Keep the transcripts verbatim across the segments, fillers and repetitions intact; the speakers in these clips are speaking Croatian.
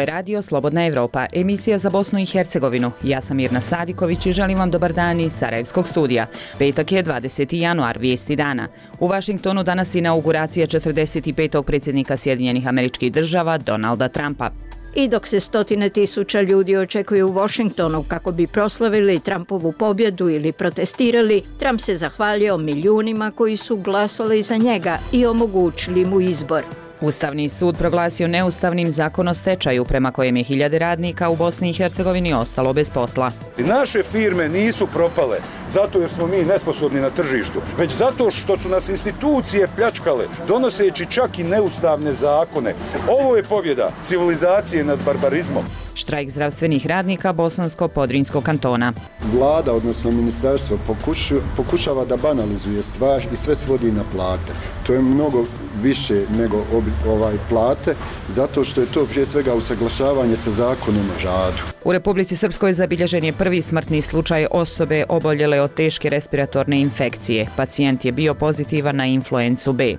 je radio Slobodna Evropa, emisija za Bosnu i Hercegovinu. Ja sam Mirna Sadiković i želim vam dobar dan iz Sarajevskog studija. Petak je dvadeseti januar, vijesti dana. U Vašingtonu danas inauguracija četrdeset petog predsjednika Sjedinjenih Američkih Država, Donalda Trumpa. I dok se stotine tisuća ljudi očekuju u Washingtonu kako bi proslavili Trumpovu pobjedu ili protestirali, Trump se zahvalio milijunima koji su glasali za njega i omogućili mu izbor. Ustavni sud proglasio neustavnim zakon o stečaju prema kojem je hiljade radnika u Bosni i Hercegovini ostalo bez posla. Naše firme nisu propale zato jer smo mi nesposobni na tržištu, već zato što su nas institucije pljačkale, donoseći čak i neustavne zakone. Ovo je pobjeda civilizacije nad barbarizmom. Štrajk zdravstvenih radnika Bosansko-Podrinjskog kantona. Vlada, odnosno ministarstvo, pokušu, pokušava da banalizuje stvar i sve svodi na plate. To je mnogo više nego obi, ovaj plate, zato što je to prije svega usaglašavanje sa zakonom o radu. U Republici Srpskoj zabilježen je prvi smrtni slučaj osobe oboljele od teške respiratorne infekcije. Pacijent je bio pozitivan na influencu B.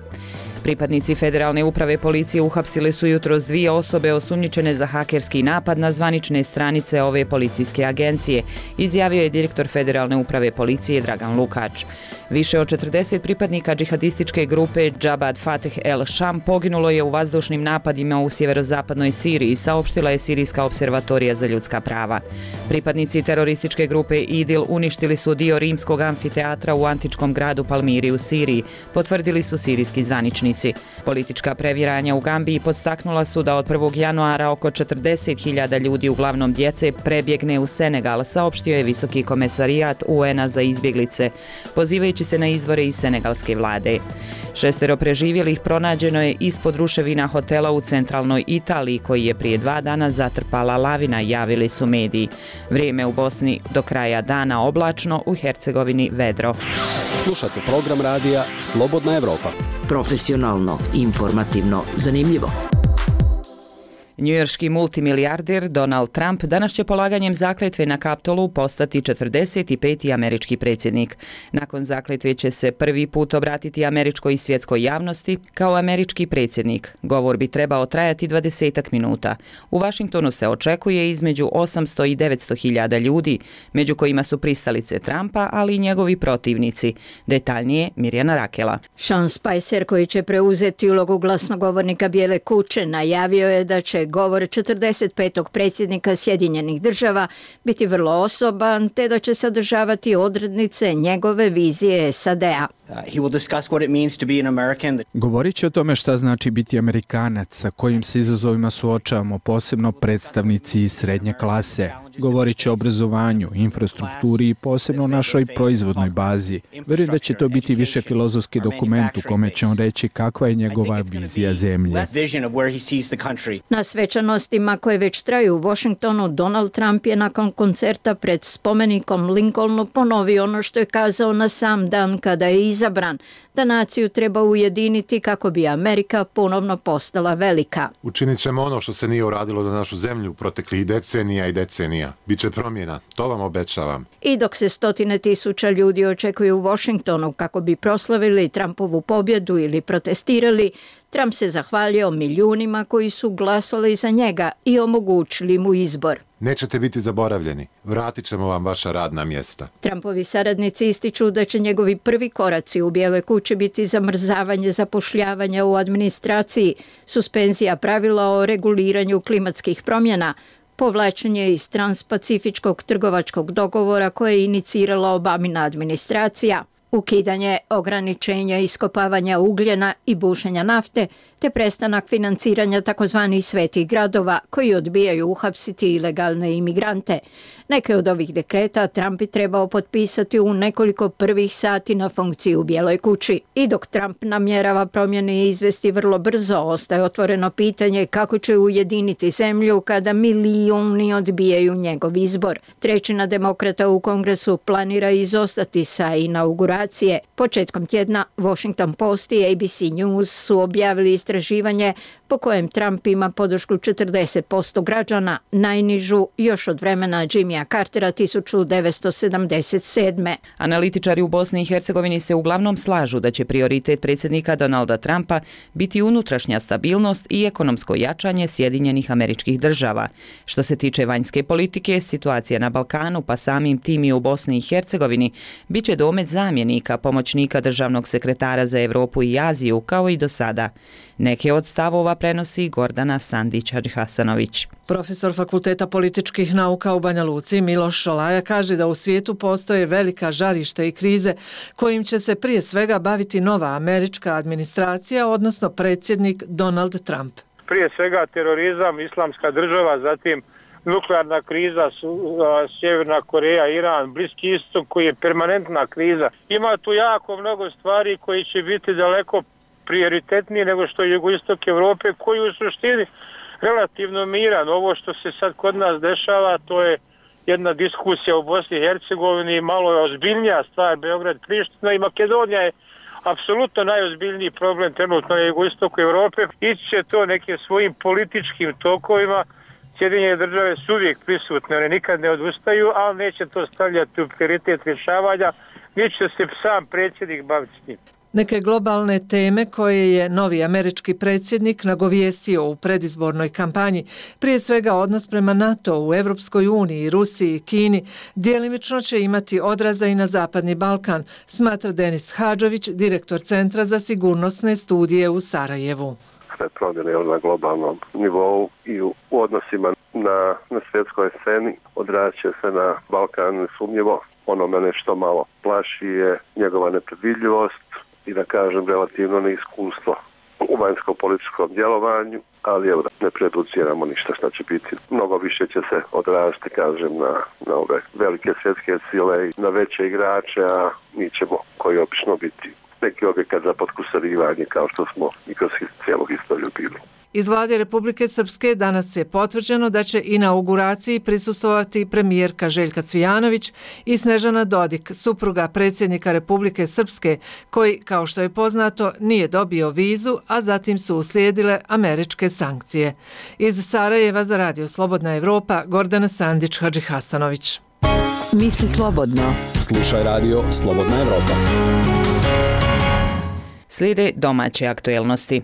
Pripadnici Federalne uprave policije uhapsili su jutros dvije osobe osumnjičene za hakerski napad na zvanične stranice ove policijske agencije, izjavio je direktor Federalne uprave policije Dragan Lukač. Više od četrdeset pripadnika džihadističke grupe Jabhat Fateh el-Sham poginulo je u vazdušnim napadima u sjeverozapadnoj Siriji, saopštila je Sirijska observatorija za ljudska prava. Pripadnici terorističke grupe Idil uništili su dio rimskog amfiteatra u antičkom gradu Palmiri u Siriji, potvrdili su sirijski zvaničnici. Politička previranja u Gambiji podstaknula su da od prvog januara oko četrdeset hiljada ljudi, uglavnom djece, prebjegne u Senegal, saopštio je Visoki komesarijat U N-a za izbjeglice, pozivajući se na izvore iz senegalske vlade. Šestero preživjelih pronađeno je ispod ruševina hotela u centralnoj Italiji, koji je prije dva dana zatrpala lavina, javili su mediji. Vrijeme u Bosni do kraja dana oblačno, u Hercegovini vedro. Slušate program radija Slobodna Evropa. Profesionalno, informativno, zanimljivo. Njujorški multimilijarder Donald Trump danas će polaganjem zakletve na Kapitolu postati četrdeset peti američki predsjednik. Nakon zakletve će se prvi put obratiti američkoj i svjetskoj javnosti kao američki predsjednik. Govor bi trebao trajati dvadesetak minuta. U Vašingtonu se očekuje između osamsto i devetsto hiljada ljudi, među kojima su pristalice Trumpa, ali i njegovi protivnici. Detaljnije Mirjana Rakela. Sean Spicer, koji će preuzeti ulogu glasnogovornika Bijele kuće, najavio je da će govor četrdeset petog predsjednika Sjedinjenih Država biti vrlo osoban, te da će sadržavati odrednice njegove vizije S A D-a. Govorit će o tome šta znači biti Amerikanac, sa kojim se izazovima suočavamo, posebno predstavnici iz srednje klase. Govorit će o obrazovanju, infrastrukturi i posebno o našoj proizvodnoj bazi. Verujem da će to biti više filozofski dokument u kome će on reći kakva je njegova vizija zemlje. Na svečanostima koje već traju u Washingtonu, Donald Trump je nakon koncerta pred spomenikom Lincolnu ponovio ono što je kazao na sam dan kada je izabran, da naciju treba ujediniti kako bi Amerika ponovno postala velika. Učinit ćemo ono što se nije uradilo za našu zemlju proteklih decenija i decenija. Biće promjena, to vam obećavam. I dok se stotine tisuća ljudi očekuju u Washingtonu kako bi proslavili Trumpovu pobjedu ili protestirali, Trump se zahvalio milijunima koji su glasali za njega i omogućili mu izbor. Nećete biti zaboravljeni. Vratit ćemo vam vaša radna mjesta. Trumpovi saradnici ističu da će njegovi prvi koraci u Bijeloj kući biti zamrzavanje zapošljavanja u administraciji, suspenzija pravila o reguliranju klimatskih promjena, povlačenje iz transpacifičkog trgovačkog dogovora koje je inicirala Obamina administracija, ukidanje ograničenja iskopavanja ugljena i bušenja nafte, te prestanak financiranja takozvanih svetih gradova koji odbijaju uhapsiti ilegalne imigrante. Neke od ovih dekreta Trump bi trebao potpisati u nekoliko prvih sati na funkciji u Bijeloj kući. I dok Trump namjerava promjene izvesti vrlo brzo, ostaje otvoreno pitanje kako će ujediniti zemlju kada milijuni odbijaju njegov izbor. Trećina demokrata u Kongresu planira izostati sa inauguracije. Početkom tjedna Washington Post i A B C News su objavili istraživanje istraživanje po kojem Trump ima podršku četrdeset posto građana, najnižu još od vremena Jimmya Cartera hiljadu devetsto sedamdeset sedme. Analitičari u Bosni i Hercegovini se uglavnom slažu da će prioritet predsjednika Donalda Trumpa biti unutrašnja stabilnost i ekonomsko jačanje Sjedinjenih Američkih Država. Što se tiče vanjske politike, situacija na Balkanu, pa samim tim i u Bosni i Hercegovini, bit će domet zamjenika, pomoćnika državnog sekretara za Europu i Aziju, kao i do sada. Neke od stavova prenosi Gordana Sandić-Hadžihasanović. Profesor Fakulteta političkih nauka u Banja Luci Miloš Šolaja kaže da u svijetu postoje velika žarišta i krize kojim će se prije svega baviti nova američka administracija, odnosno predsjednik Donald Trump. Prije svega terorizam, islamska država, zatim nuklearna kriza, Sjeverna Koreja, Iran, Bliski istok koji je permanentna kriza. Ima tu jako mnogo stvari koji će biti daleko prioritetniji nego što je jugoistok Europe, koji u suštini relativno miran. Ovo što se sad kod nas dešava, to je jedna diskusija u Bosni i Hercegovini, malo je ozbiljnija stvar, Beograd, Priština i Makedonija je apsolutno najozbiljniji problem trenutno na jugoistoku Europe. Ići će to nekim svojim političkim tokovima. Sjedinjene države su uvijek prisutne, one nikad ne odustaju, ali neće to stavljati u prioritet rješavanja, neće se sam predsjednik baviti s njim. Neke globalne teme koje je novi američki predsjednik nagovijestio u predizbornoj kampanji, prije svega odnos prema NATO u Evropskoj uniji, Rusiji i Kini, djelimično će imati odraza i na Zapadni Balkan, smatra Denis Hadžović, direktor Centra za sigurnosne studije u Sarajevu. Sve promjene na globalnom nivou i u odnosima na, na svjetskoj sceni odrazit će se na Balkan nesumnjivo. Ono mene što malo plaši je njegova nepredvidljivost i da kažem relativno neiskustvo u vanjsko-političkom djelovanju, ali evo, ne produciramo ništa što će biti. Mnogo više će se odraziti, kažem, na, na ove velike svjetske sile i na veće igrače, a mi ćemo koji obično biti neki objekat za potkusurivanje kao što smo i kroz cijelu historiju bili. Iz vlade Republike Srpske danas je potvrđeno da će inauguraciji prisustvovati premijerka Željka Cvijanović i Snežana Dodik, supruga predsjednika Republike Srpske, koji, kao što je poznato, nije dobio vizu, a zatim su uslijedile američke sankcije. Iz Sarajeva za Radio Slobodna Evropa, Gordana Sandić-Hadžihasanović. Misli slobodno. Slušaj Radio Slobodna Evropa. Slijede domaće aktuelnosti.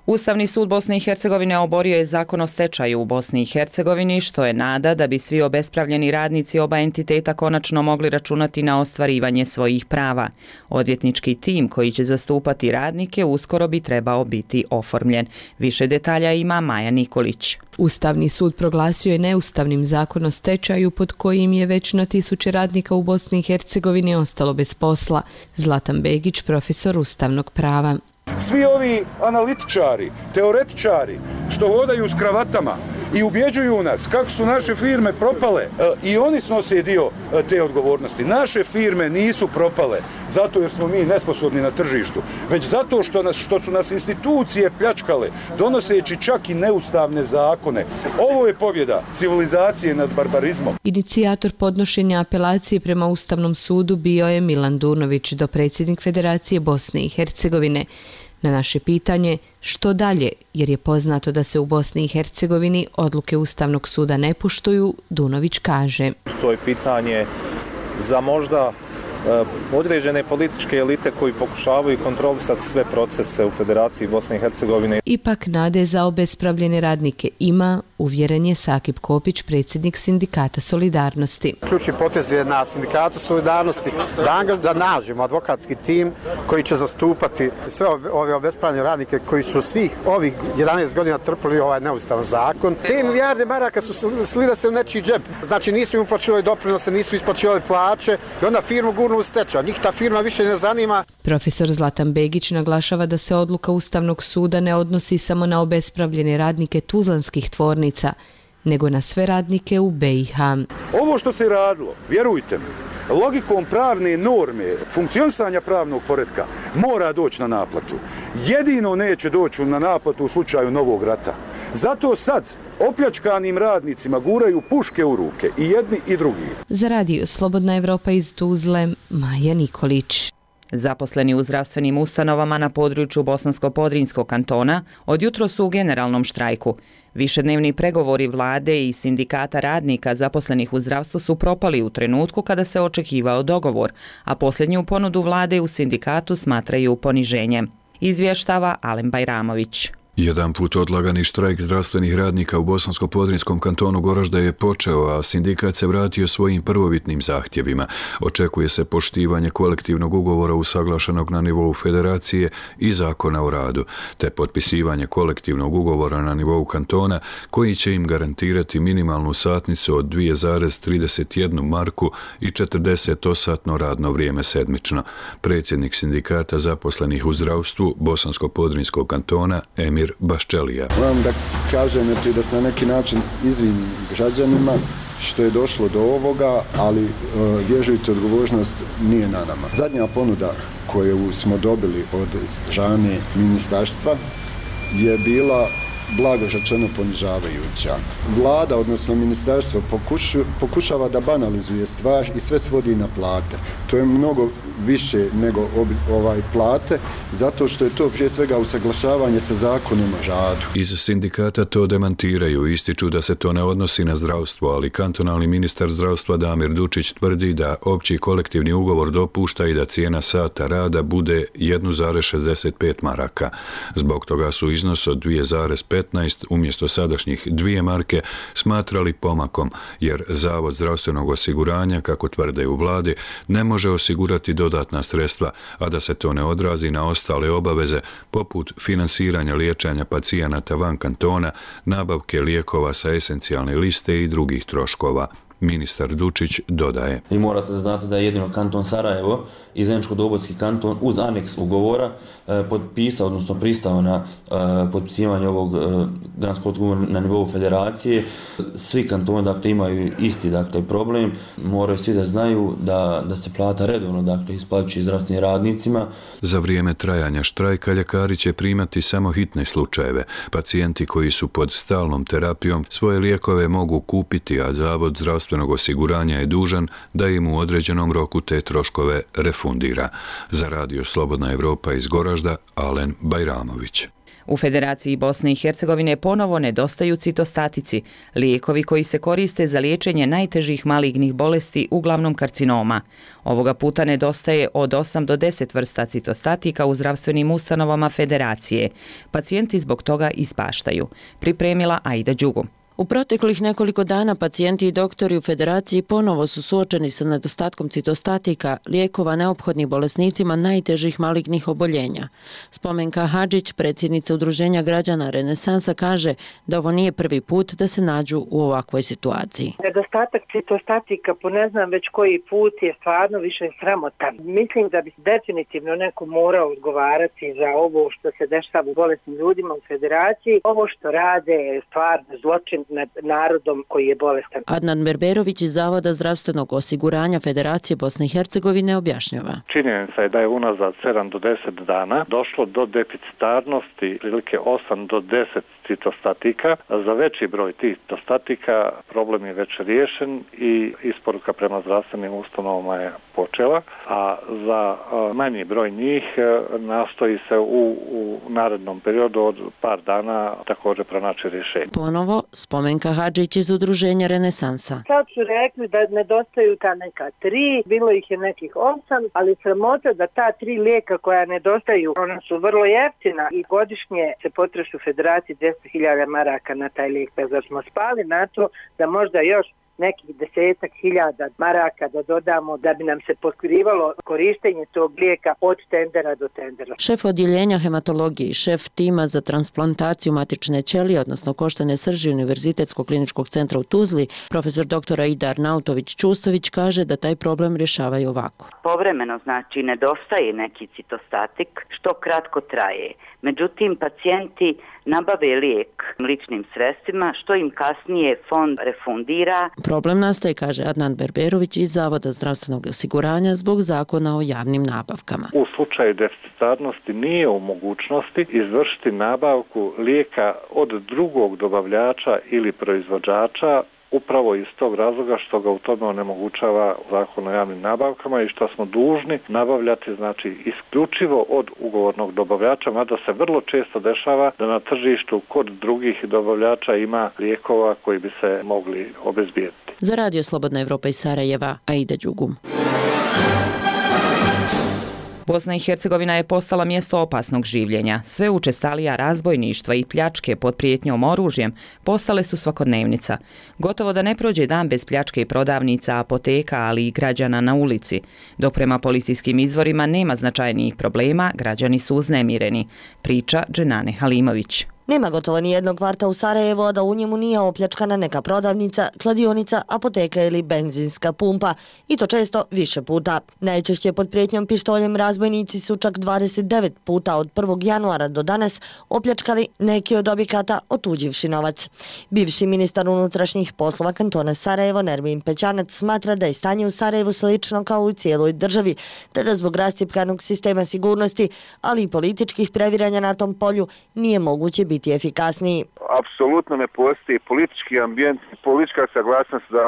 Ustavni sud Bosne i Hercegovine oborio je zakon o stečaju u Bosni i Hercegovini, što je nada da bi svi obespravljeni radnici oba entiteta konačno mogli računati na ostvarivanje svojih prava. Odvjetnički tim koji će zastupati radnike uskoro bi trebao biti oformljen. Više detalja ima Maja Nikolić. Ustavni sud proglasio je neustavnim zakon o stečaju pod kojim je već na tisuće radnika u Bosni i Hercegovini ostalo bez posla. Zlatan Begić, profesor ustavnog prava. Svi ovi analitičari, teoretičari što hodaju s kravatama i ubjeđuju nas kako su naše firme propale, i oni snose dio te odgovornosti. Naše firme nisu propale zato jer smo mi nesposobni na tržištu, već zato što, nas, što su nas institucije pljačkale, donoseći čak i neustavne zakone. Ovo je pobjeda civilizacije nad barbarizmom. Inicijator podnošenja apelacije prema Ustavnom sudu bio je Milan Durnović, dopredsjednik Federacije Bosne i Hercegovine. Na naše pitanje što dalje, jer je poznato da se u Bosni i Hercegovini odluke Ustavnog suda ne poštuju, Dunović kaže. To je pitanje za možda određene političke elite koji pokušavaju kontrolisati sve procese u Federaciji Bosne i Hercegovine. Ipak nade za obespravljene radnike ima, uvjeren je Sakip Kopić, predsjednik Sindikata Solidarnosti. Ključni potez je na Sindikatu Solidarnosti da, da nađemo advokatski tim koji će zastupati sve ove obespravljene radnike koji su svih ovih jedanaest godina trpili ovaj neustavan zakon. Te milijarde maraka su slile se u nečiji džep. Znači nisu im uplaćivali doprinose, nisu isplaćivali plaće i onda firmu gurnu u stečaj. Njih ta firma više ne zanima. Profesor Zlatan Begić naglašava da se odluka Ustavnog suda ne odnosi samo na obespravljene radnike tuzlanskih tvornica, nego na sve radnike u B i H. Ovo što se radilo, vjerujte mi, logikom pravne norme, funkcionisanja pravnog poretka, mora doći na naplatu. Jedino neće doći na naplatu u slučaju novog rata. Zato sad opljačkanim radnicima guraju puške u ruke, i jedni i drugi. Za Radio Slobodna Evropa iz Tuzle, Maja Nikolić. Zaposleni u zdravstvenim ustanovama na području Bosansko-Podrinjskog kantona od jutro su u generalnom štrajku. Višednevni pregovori vlade i sindikata radnika zaposlenih u zdravstvu su propali u trenutku kada se očekivao dogovor, a posljednju ponudu vlade u sindikatu smatraju poniženjem. Izvještava Alen Bajramović. Jedan put odlagani štrajk zdravstvenih radnika u Bosansko-Podrinjskom kantonu Goražda je počeo, a sindikat se vratio svojim prvobitnim zahtjevima. Očekuje se poštivanje kolektivnog ugovora usaglašenog na nivou federacije i zakona o radu, te potpisivanje kolektivnog ugovora na nivou kantona koji će im garantirati minimalnu satnicu od dvije zarez trideset jednu marku i četrdesetosatno radno vrijeme sedmično. Predsjednik sindikata zaposlenih u zdravstvu Bosansko-Podrinjskog kantona Emir Baščelija. Moram da kažem da se na neki način izvinim građanima što je došlo do ovoga, ali e, vježujte, odgovornost nije na nama. Zadnja ponuda koju smo dobili od strane ministarstva je bila blago rečeno ponižavajuća. Vlada, odnosno ministarstvo, pokušu, pokušava da banalizuje stvar i sve svodi na plate. To je mnogo više nego obi, ovaj plate, zato što je to prije svega usaglašavanje sa zakonom o radu. Iz sindikata to demantiraju, ističu da se to ne odnosi na zdravstvo, ali kantonalni ministar zdravstva Damir Dučić tvrdi da opći kolektivni ugovor dopušta i da cijena sata rada bude jedna zarez šezdeset pet maraka. Zbog toga su iznos od dvije zarez petnaest umjesto sadašnjih dvije marke smatrali pomakom, jer Zavod zdravstvenog osiguranja, kako tvrde u vladi, ne može osigurati dodatna sredstva, a da se to ne odrazi na ostale obaveze poput finansiranja liječenja pacijenata van kantona, nabavke lijekova sa esencijalne liste i drugih troškova. Ministar Dučić dodaje. Vi morate da znate da je jedino kanton Sarajevo i Zeničko-Dobojski kanton uz aneks ugovora e, potpisao, odnosno pristao na e, potpisivanje ovog e, granskog ugovora na nivou federacije. Svi kantoni dakle imaju isti dakle problem. Moraju svi da znaju da da se plata redovno dakle isplaćuje zdravstvenim radnicima. Za vrijeme trajanja štrajka ljekari će primati samo hitne slučajeve. Pacijenti koji su pod stalnom terapijom svoje lijekove mogu kupiti, a Zavod zdravstvenog osiguranja je dužan da im u određenom roku te troškove refundira. Za Radio Slobodna Evropa iz Goražda, Alen Bajramović. U Federaciji Bosne i Hercegovine ponovo nedostaju citostatici, lijekovi koji se koriste za liječenje najtežih malignih bolesti, uglavnom karcinoma. Ovoga puta nedostaje od osam do deset vrsta citostatika u zdravstvenim ustanovama Federacije. Pacijenti zbog toga ispaštaju. Pripremila Aida Đugu. U proteklih nekoliko dana pacijenti i doktori u Federaciji ponovo su suočeni sa nedostatkom citostatika, lijekova neophodnih bolesnicima najtežih malignih oboljenja. Spomenka Hadžić, predsjednica Udruženja građana Renesansa, kaže da ovo nije prvi put da se nađu u ovakvoj situaciji. Nedostatak citostatika po ne znam već koji put je stvarno više sramotan. Mislim da bi definitivno neko morao odgovarati za ovo što se dešava u bolesnim ljudima u Federaciji. Ovo što rade je stvarno zločin nad narodom koji je bolestan. Adnan Berberović iz Zavoda zdravstvenog osiguranja Federacije Bosne i Hercegovine objašnjava. Činjenica je da je unazad sedam do deset dana došlo do deficitarnosti prilike osam do deset citostatika. Za veći broj tih citostatika problem je već riješen i isporuka prema zdravstvenim ustanovama je počela, a za manji broj njih nastoji se u, u narednom periodu od par dana također pronaći rješenje. Ponovo Spomenka Hadžić iz Udruženja Renesansa. Sad su rekli da nedostaju ta neka tri, bilo ih je nekih osam, ali sramota da ta tri lijeka koja nedostaju, ona su vrlo jeftina i godišnje se potroši u Federaciji dvjesto hiljada maraka na taj lijek. Pa zar smo spali na to da možda još nekih desetak hiljada maraka da dodamo da bi nam se pokrivalo korištenje tog lijeka od tendera do tendera. Šef odjeljenja hematologije i šef tima za transplantaciju matične ćelije, odnosno koštane srži Univerzitetskog kliničkog centra u Tuzli, profesor dr. Aida Arnautović-Čustović, kaže da taj problem rješavaju ovako. Povremeno znači nedostaje neki citostatik što kratko traje. Međutim, pacijenti nabave lijek ličnim sredstvima što im kasnije fond refundira. Problem nastaje, kaže Adnan Berberović iz Zavoda zdravstvenog osiguranja zbog zakona o javnim nabavkama. U slučaju deficitarnosti nije u mogućnosti izvršiti nabavku lijeka od drugog dobavljača ili proizvođača upravo iz tog razloga što ga u tome onemogućava Zakon o javnim nabavkama i što smo dužni nabavljati znači isključivo od ugovornog dobavljača, mada se vrlo često dešava da na tržištu kod drugih dobavljača ima lijekova koji bi se mogli obezbijediti. Za Radio Slobodna Evropa iz Sarajeva, Aida Đugum. Bosna i Hercegovina je postala mjesto opasnog življenja. Sve učestalija razbojništva i pljačke pod prijetnjom oružjem postale su svakodnevnica. Gotovo da ne prođe dan bez pljačke prodavnica, apoteka, ali i građana na ulici. Dok prema policijskim izvorima nema značajnijih problema, građani su uznemireni. Priča Dženane Halimović. Nema gotovo ni jednog kvarta u Sarajevu, a da u njemu nije opljačkana neka prodavnica, kladionica, apoteka ili benzinska pumpa. I to često više puta. Najčešće pod prijetnjom pištoljem razbojnici su čak dvadeset devet puta od prvog januara do danas opljačkali neki od objekata otuđivši novac. Bivši ministar unutrašnjih poslova kantona Sarajevo, Nermin Pećanac, smatra da je stanje u Sarajevu slično kao u cijeloj državi, te da zbog rascjepkanog sistema sigurnosti, ali i političkih previranja na tom polju, nije moguće biti biti efikasniji. Apsolutno ne postoji politički ambijent, politička saglasnost da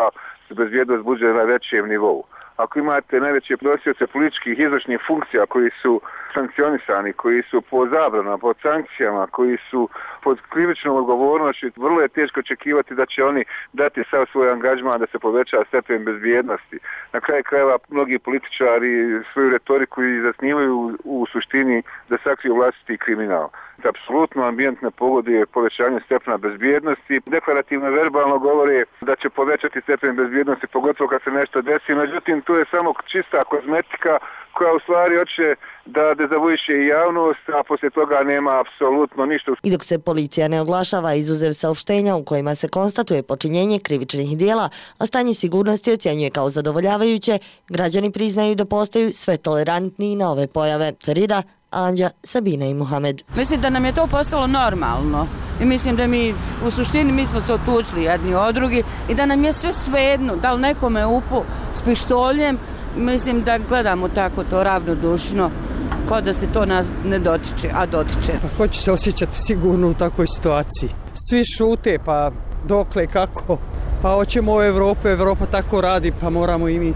se bezbjednost bude na većem nivou. Ako imate najveće nosioce političkih izvršnih funkcija koji su sankcionisani, koji su po zabranama, pod sankcijama, koji su pod krivičnom odgovornošću, vrlo je teško očekivati da će oni dati sav svoj angažman da se poveća stepen bezbjednosti. Na kraju krajeva mnogi političari svoju retoriku i zasnivaju u suštini da sakriju vlastiti kriminal. Apsolutno ambijent ne pogoduje povećanju stepena bezbjednosti. Deklarativno verbalno govore da će povećati stepen bezbjednosti, pogotovo kad se nešto desi. Međutim, to je samo čista kozmetika koja u stvari hoće da dezavuiše i javnost, a poslije toga nema apsolutno ništa. I dok se policija ne oglašava izuzev saopštenja u kojima se konstatuje počinjenje krivičnih dijela, a stanje sigurnosti ocjenjuje kao zadovoljavajuće, građani priznaju da postaju sve tolerantniji na ove pojave. Ferida, Anđa, Sabina i Muhamed. Mislim da nam je to postalo normalno i mislim da mi u suštini mi smo se otučili jedni od drugi i da nam je sve svejedno, da li nekome upu s pištoljem, mislim da gledamo tako to ravnodušno, kao da se to nas ne dotiče, a dotiče. Pa hoću se osjećati sigurno u takvoj situaciji. Svi šute, pa dokle, kako? Pa hoćemo u Evropu, Evropa tako radi, pa moramo i mi.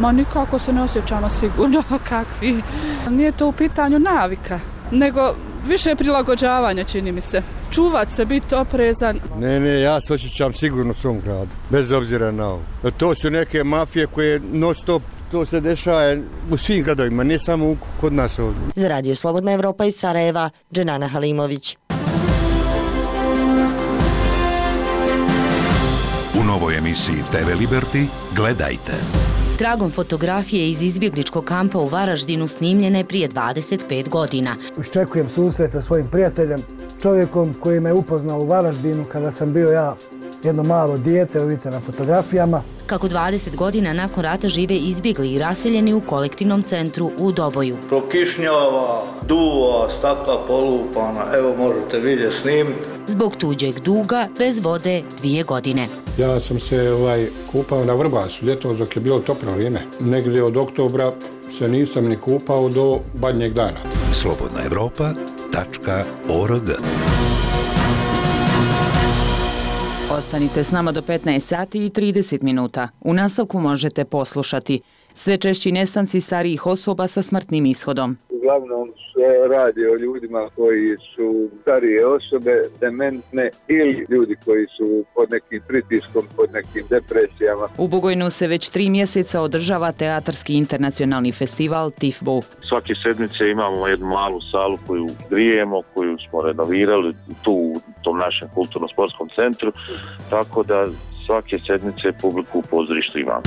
Ma nikako se ne osjećamo sigurno kakvi. Nije to u pitanju navika, nego više prilagođavanja, čini mi se. Čuvat se, biti oprezan. Ne, ne, ja se osjećam sigurno u svom gradu, bez obzira na ovo. To su neke mafije koje non stop, to se dešava u svim gradovima, ne samo kod nas ovdje. Za Radio Slobodna Evropa iz Sarajeva, Dženana Halimović. U novoj emisiji te ve Liberty gledajte. Tragom fotografije iz izbjegličkog kampa u Varaždinu snimljene prije dvadeset pet godina. Iščekujem susret sa svojim prijateljem, čovjekom koji me upoznao u Varaždinu kada sam bio ja jedno malo dijete, vidite na fotografijama. Kako dvadeset godina nakon rata žive izbjegli i raseljeni u kolektivnom centru u Doboju. Prokišnjava, duva, stakla polupana, evo možete vidjeti snimiti. Zbog tuđeg duga, bez vode, dvije godine. Ja sam se ovaj, kupao na Vrbasu, ljetom dok je bilo toplo vrijeme. Negdje od oktobra se nisam ni kupao do badnjeg dana. slobodna evropa tačka org. Ostanite s nama do petnaest sati i trideset minuta. U nastavku možete poslušati sve češći nestanci starijih osoba sa smrtnim ishodom. Uglavnom se radi o ljudima koji su starije osobe, dementne ili ljudi koji su pod nekim pritiskom, pod nekim depresijama. U Bugojnu se već tri mjeseca održava teatarski internacionalni festival Tifbu. Svake sedmice imamo jednu malu salu koju grijemo, koju smo renovirali tu u tom našem kulturno-sportskom centru, tako da svake sedmice publiku u pozorištu imamo.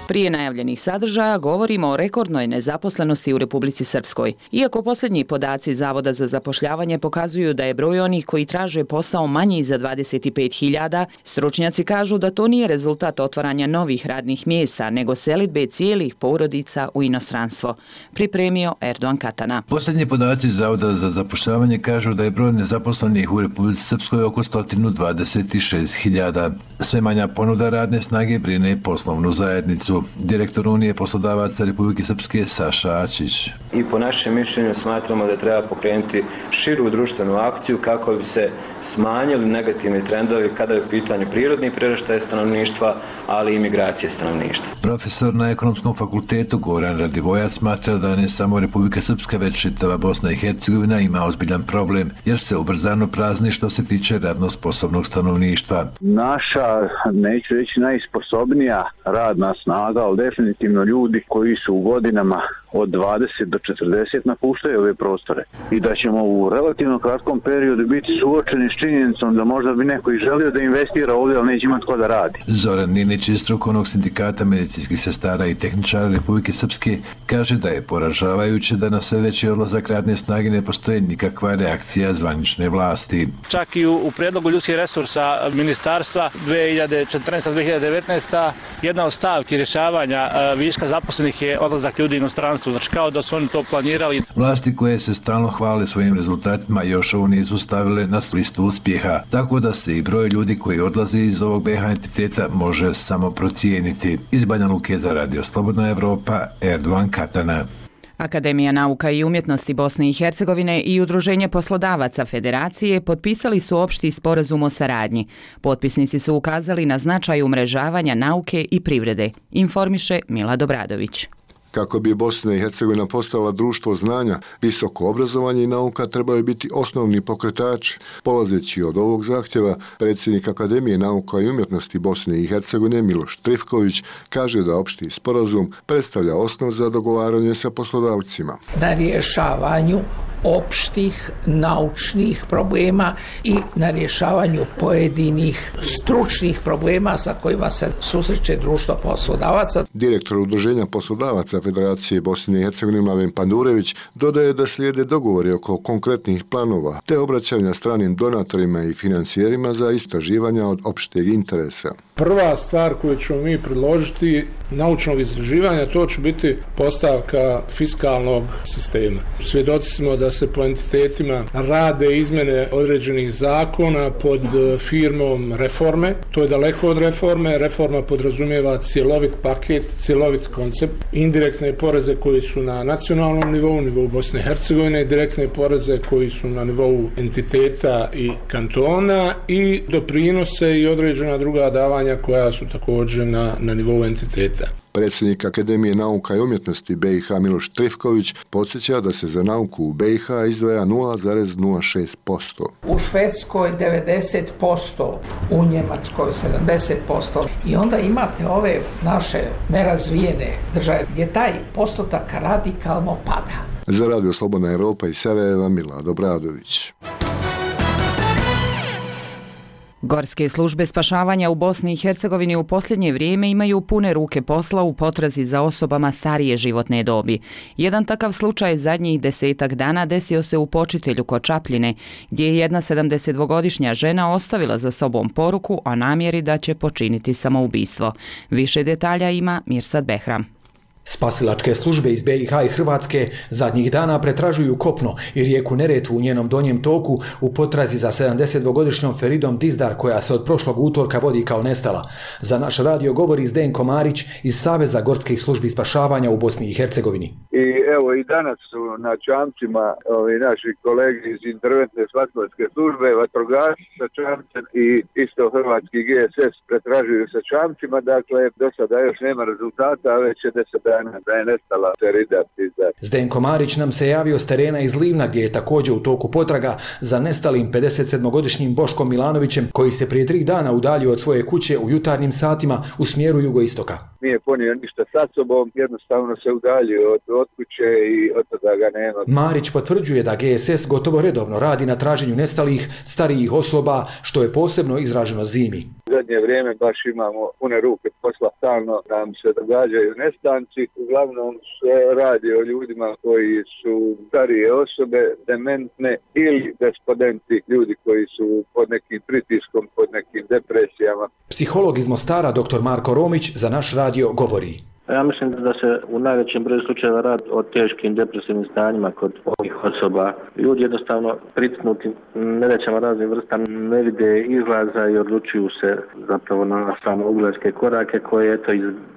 Prije najavljenih sadržaja govorimo o rekordnoj nezaposlenosti u Republici Srpskoj. Iako posljednji podaci Zavoda za zapošljavanje pokazuju da je broj onih koji traže posao manji za dvadeset pet hiljada, stručnjaci kažu da to nije rezultat otvaranja novih radnih mjesta, nego selidbe cijelih porodica u inostranstvo. Pripremio Erdogan Katana. Posljednji podaci Zavoda za zapošljavanje kažu da je broj nezaposlenih u Republici Srpskoj oko sto dvadeset šest hiljada. Sve manja ponuda radne snage brine poslovnu zajednicu. Direktor Unije poslodavaca Republike Srpske Saša Ačić. I po našem mišljenju smatramo da treba pokrenuti širu društvenu akciju kako bi se smanjili negativni trendovi kada je u pitanju prirodni priraštaj stanovništva, ali i migracije stanovništva. Profesor na Ekonomskom fakultetu Goran Radivojac smatra da ne samo Republika Srpska, već čitava Bosna i Hercegovina ima ozbiljan problem, jer se ubrzano prazni što se tiče radno sposobnog stanovništva. Naša, neću reći najsposobnija radna snaga, ali definitivno ljudi koji su u godinama od dvadeset do četrdeset napuštaju ove prostore i da ćemo u relativno kratkom periodu biti suočeni s činjenicom da možda bi neko i želio da investira ovdje, ali neće imati ko da radi. Zoran Ninić iz strukovnog sindikata medicinskih sestara i tehničara Republike Srpske kaže da je poražavajuće da na sve veći odlazak radne snage ne postoji nikakva reakcija zvanične vlasti. Čak i u, u predlogu ljudskih resursa ministarstva dvije hiljade četrnaesta do dvije hiljade devetnaesta jedna od stavki rješavanja viška zaposlenih je odlazak ljudi u inostranstvo. Znači kao da su oni to planirali. Vlasti koje se stalno hvale svojim rezultatima još ovo nisu stavile na listu uspjeha, tako da se i broj ljudi koji odlaze iz ovog B H entiteta može samo procijeniti. Iz Banja Luke za Radio Slobodna Evropa, Erdovan Katana. Akademija nauka i umjetnosti Bosne i Hercegovine i Udruženje poslodavaca Federacije potpisali su opšti sporazum o saradnji. Potpisnici su ukazali na značaj umrežavanja nauke i privrede, informiše Milad Obradović. Kako bi Bosna i Hercegovina postala društvo znanja, visoko obrazovanje i nauka trebaju biti osnovni pokretači. Polazeći od ovog zahtjeva, predsjednik Akademije nauka i umjetnosti Bosne i Hercegovine Miloš Trifković kaže da opšti sporazum predstavlja osnov za dogovaranje sa poslodavcima. Na rješavanju opštih naučnih problema i na rješavanju pojedinih stručnih problema sa kojima se susreće društvo poslodavaca. Direktor Udruženja poslodavaca Federacije Bosne i Hercegovine Mladen Pandurević dodaje da slijede dogovori oko konkretnih planova te obraćanja stranim donatorima i financijerima za istraživanja od opšteg interesa. Prva stvar koju ćemo mi predložiti naučnog istraživanja, to će biti postavka fiskalnog sistema. Svjedoci smo da se po entitetima rade izmjene određenih zakona pod firmom reforme. To je daleko od reforme. Reforma podrazumijeva cjelovit paket, cjelovit koncept. Indirektne poreze koji su na nacionalnom nivou, nivou Bosne i Hercegovine, direktne poreze koji su na nivou entiteta i kantona i doprinose i određena druga davanja koja su također na, na nivou entiteta. Predsjednik Akademije nauka i umjetnosti B i H Miloš Trifković podsjeća da se za nauku u B i H izdvaja nula zarez nula šest posto. U Švedskoj devedeset posto, u Njemačkoj sedamdeset posto i onda imate ove naše nerazvijene države gdje taj postotak radikalno pada. Za Radio Slobodna Evropa iz Sarajeva Milad Obradović. Gorske službe spašavanja u Bosni i Hercegovini u posljednje vrijeme imaju pune ruke posla u potrazi za osobama starije životne dobi. Jedan takav slučaj zadnjih desetak dana desio se u Počitelju kod Čapljine, gdje je jedna sedamdesetdvogodišnja žena ostavila za sobom poruku o namjeri da će počiniti samoubistvo. Više detalja ima Mirsad Behram. Spasilačke službe iz B i H i Hrvatske zadnjih dana pretražuju kopno i rijeku Neretvu u njenom donjem toku u potrazi za sedamdesetdvogodišnjom Feridom Dizdar koja se od prošlog utorka vodi kao nestala. Za naš radio govori Zdenko Marić iz Saveza gorskih službi spašavanja u Bosni i Hercegovini. I evo i danas su na čamcima ovi naši kolegi iz interventne spasilačke službe, vatrogasci sa čamcem i isto hrvatski G S S pretražuju sa čamcima, dakle do sada još nema rezultata, a već je deset dana da je nestala Ferida Dizdar. Zdenko Marić nam se javio s terena iz Livna gdje je također u toku potraga za nestalim pedesetsedmogodišnjim Boškom Milanovićem koji se prije tri dana udaljio od svoje kuće u jutarnjim satima u smjeru jugoistoka. Nije ponio ništa sa sobom, jednostavno se udaljio od, od kuće i od toga ga nema. Marić potvrđuje da G S S gotovo redovno radi na traženju nestalih starijih osoba, što je posebno izraženo zimi. U zadnje vrijeme baš imamo pune ruke posla, stalno nam se događaju nestanci. Uglavnom se radi o ljudima koji su starije osobe, dementne ili despotenti, ljudi koji su pod nekim pritiskom, pod nekim depresijama. Psiholog iz Mostara dr Marko Romić za naš radio govori. Ja mislim da se u najvećem broju slučajeva radi o teškim depresivnim stanjima kod ovih osoba. Ljudi jednostavno pritisnuti nerećama raznih vrsta ne vide izlaza i odlučuju se zapravo na samougledske korake koje eto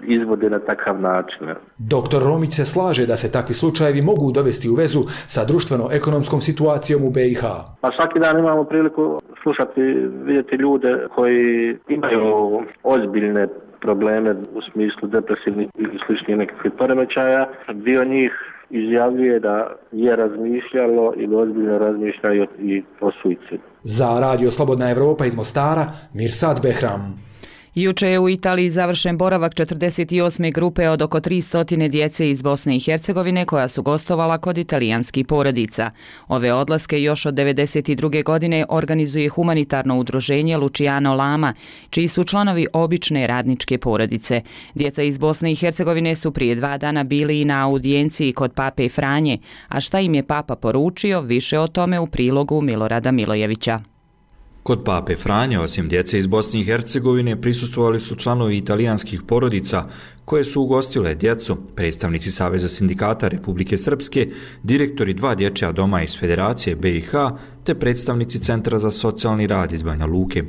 izvode na takav način. Doktor Romić se slaže da se takvi slučajevi mogu dovesti u vezu sa društveno-ekonomskom situacijom u B i H. Pa svaki dan imamo priliku slušati, vidjeti ljude koji imaju ozbiljne probleme u smislu depresivnih ili sličnih nekakvih poremećaja. Dio njih izjavljuje da je razmišljalo ili ozbiljno razmišlja i o suicidu. Za Radio Slobodna Evropa iz Mostara, Mirsad Behram. Juče je u Italiji završen boravak četrdeset osme grupe od oko tristo djece iz Bosne i Hercegovine koja su gostovala kod italijanskih porodica. Ove odlaske još od devedeset druge godine organizuje humanitarno udruženje Luciano Lama, čiji su članovi obične radničke porodice. Djeca iz Bosne i Hercegovine su prije dva dana bili i na audijenciji kod pape Franje, a šta im je papa poručio, više o tome u prilogu Milorada Milojevića. Kod pape Franje, osim djece iz Bosne i Hercegovine, prisustvovali su članovi italijanskih porodica koje su ugostile djecu, predstavnici Saveza sindikata Republike Srpske, direktori dva dječja doma iz Federacije B i H, te predstavnici Centra za socijalni rad iz Banja Luke.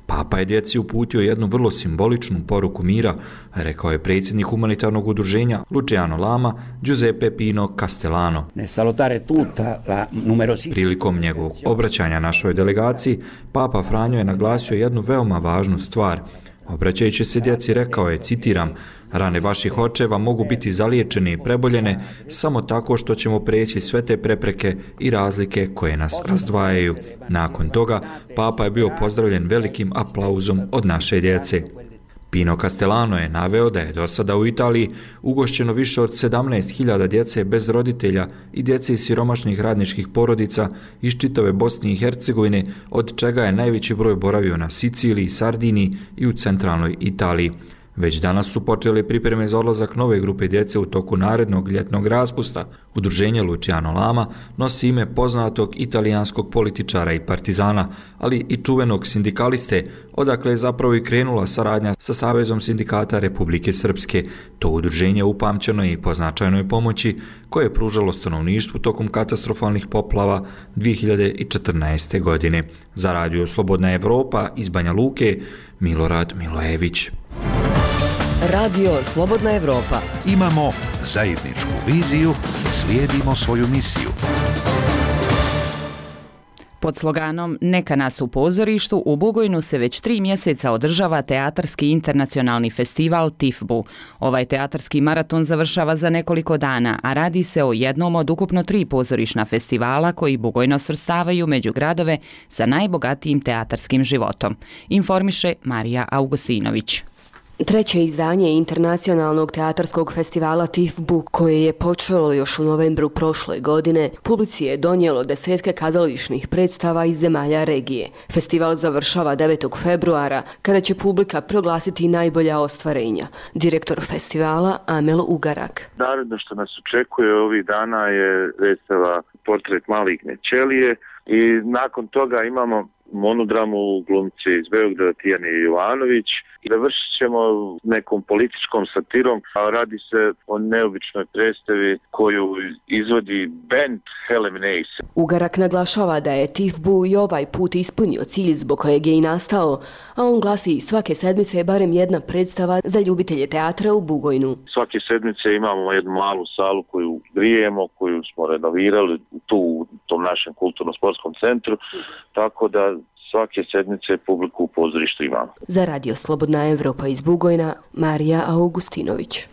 Papa je djeci uputio jednu vrlo simboličnu poruku mira, rekao je predsjednik humanitarnog udruženja Luciano Lama, Giuseppe Pino Castellano. Prilikom njegovog obraćanja našoj delegaciji, Papa Franjo je naglasio jednu veoma važnu stvar. Obraćajući se djeci rekao je, citiram, rane vaših očeva mogu biti zaliječene i preboljene samo tako što ćemo preći sve te prepreke i razlike koje nas razdvajaju. Nakon toga, Papa je bio pozdravljen velikim aplauzom od naše djece. Pino Castellano je naveo da je do sada u Italiji ugošćeno više od sedamnaest hiljada djece bez roditelja i djece iz siromašnih radničkih porodica iz čitave Bosne i Hercegovine, od čega je najveći broj boravio na Siciliji, Sardiniji i u centralnoj Italiji. Već danas su počele pripreme za odlazak nove grupe djece u toku narednog ljetnog raspusta. Udruženje Luciano Lama nosi ime poznatog italijanskog političara i partizana, ali i čuvenog sindikaliste, odakle je zapravo i krenula saradnja sa Savezom sindikata Republike Srpske. To udruženje upamćeno je i po značajnoj pomoći koje je pružalo stanovništvu tokom katastrofalnih poplava dvije hiljade četrnaeste. godine. Za Radio Slobodna Evropa iz Banja Luke, Milorad Milojević. Radio Slobodna Evropa. Imamo zajedničku viziju i slijedimo svoju misiju. Pod sloganom Neka nas u pozorištu u Bugojnu se već tri mjeseca održava teatarski internacionalni festival Tifbu. Ovaj teatarski maraton završava za nekoliko dana, a radi se o jednom od ukupno tri pozorišna festivala koji Bugojno svrstavaju među gradove sa najbogatijim teatarskim životom. Informiše Marija Augustinović. Treće izdanje internacionalnog teatarskog festivala Tifbu, koje je počelo još u novembru prošle godine, publici je donijelo desetke kazališnih predstava iz zemalja regije. Festival završava devetog februara, kada će publika proglasiti najbolja ostvarenja. Direktor festivala Amel Ugarak. Naredno što nas očekuje ovih dana je predstava Portret maligne ćelije i nakon toga imamo monodramu glumci iz Beograda Tijane Jovanović i završit ćemo nekom političkom satirom, a radi se o neobičnoj predstavi koju izvodi band Heleminace. Ugarak naglašava da je Tifbu i ovaj put ispunio cilj zbog kojeg je i nastao, a on glasi svake sedmice je barem jedna predstava za ljubitelje teatra u Bugojnu. Svake sedmice imamo jednu malu salu koju grijemo, koju smo renovirali tu u tom našem kulturno-sportskom centru, tako da svake sedmice publiku u pozorištu imamo. Za Radio Slobodna Evropa iz Bugojna, Marija Augustinović.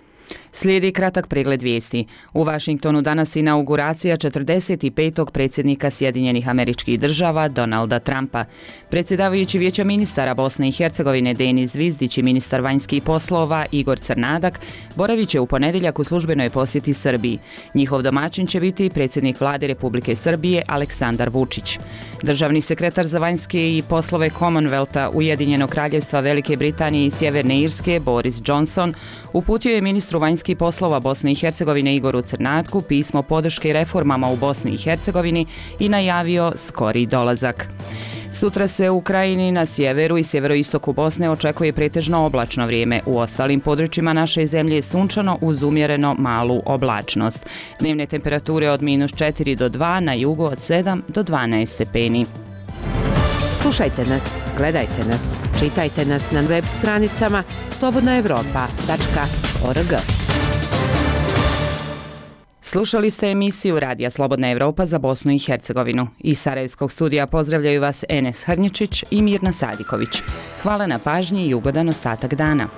Slijedi kratak pregled vijesti. U Vašingtonu danas inauguracija četrdeset petog predsjednika Sjedinjenih Američkih Država Donalda Trumpa. Predsjedavajući Vijeća ministara Bosne i Hercegovine Denis Zvizdić i ministar vanjskih poslova Igor Crnadak boravit će u ponedjeljak u službenoj posjeti Srbiji. Njihov domaćin će biti predsjednik vlade Republike Srbije Aleksandar Vučić. Državni sekretar za vanjske i poslove Commonwealtha Ujedinjenog kraljevstva Velike Britanije i Sjeverne Irske Boris Johnson uputio je ministru vanjskih vanjskih poslova Bosne i Hercegovine Igoru Crnatku pismo podrške reformama u Bosni i Hercegovini i najavio skori dolazak. Sutra se u Krajini na sjeveru i sjeveroistoku Bosne očekuje pretežno oblačno vrijeme. U ostalim područjima naše zemlje je sunčano uz umjereno malu oblačnost. Dnevne temperature od minus četiri do dva, na jugu od sedam do dvanaest stepeni. Slušajte nas, gledajte nas, čitajte nas na web stranicama slobodna evropa tačka org. Slušali ste emisiju Radija Slobodna Evropa za Bosnu i Hercegovinu. Iz Sarajevskog studija pozdravljaju vas Enes Hrnječić i Mirna Sadiković. Hvala na pažnji i ugodan ostatak dana.